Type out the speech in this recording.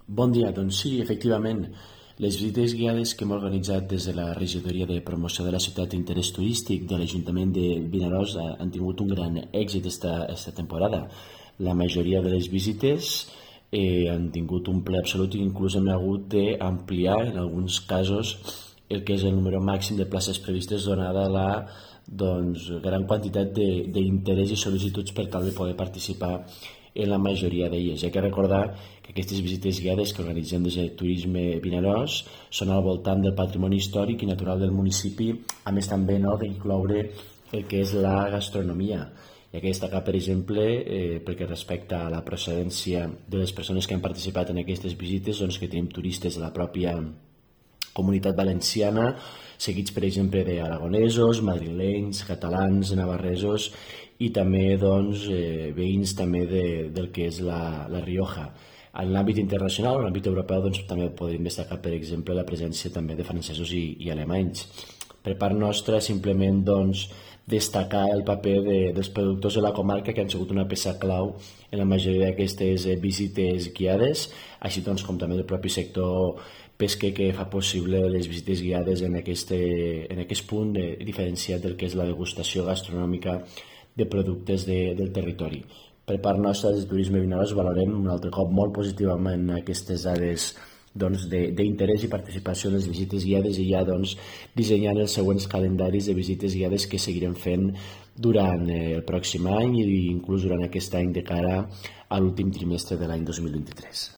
Bon dia, doncs sí, efectivament, les visites guiades que hem organitzat des de la regidoria de promoció de la ciutat d'interès turístic de l'Ajuntament de Vinaròs han tingut un gran èxit esta temporada. La majoria de les visites han tingut un ple absolut i inclús hem hagut d'ampliar en alguns casos el que és el número màxim de places previstes donada la gran quantitat d'interès i sol·licituds per tal de poder participar en la majoria d'elles. Hi ha que recordar que aquestes visites guiades que organitzem des de Turisme Vinaròs són al voltant del patrimoni històric i natural del municipi, a més també d'incloure el que és la gastronomia. Hi ha que destacar, per exemple, perquè respecte a la procedència de les persones que han participat en aquestes visites, doncs que tenim turistes de la pròpia Comunitat Valenciana, seguits, per exemple, d'aragonesos, madrilenys, catalans, navarresos i també veïns també del que és la Rioja. En l'àmbit internacional, en l'àmbit europeu, també podríem destacar, per exemple, la presència també de francesos i alemanys. Per part nostra, simplement destacar el paper dels productors de la comarca, que han sigut una peça clau en la majoria d'aquestes visites guiades, així com també del propi sector pesquer, que fa possible les visites guiades en aquest punt diferenciat del que és la degustació gastronòmica de productes del territori. Per part nostra, des de Turisme Vinaròs, valorem un altre cop molt positivament aquestes dades d'interès i participació en les visites guiades i ja dissenyant els següents calendaris de visites guiades que seguirem fent durant el pròxim any i inclús durant aquest any de cara a l'últim trimestre de l'any 2023.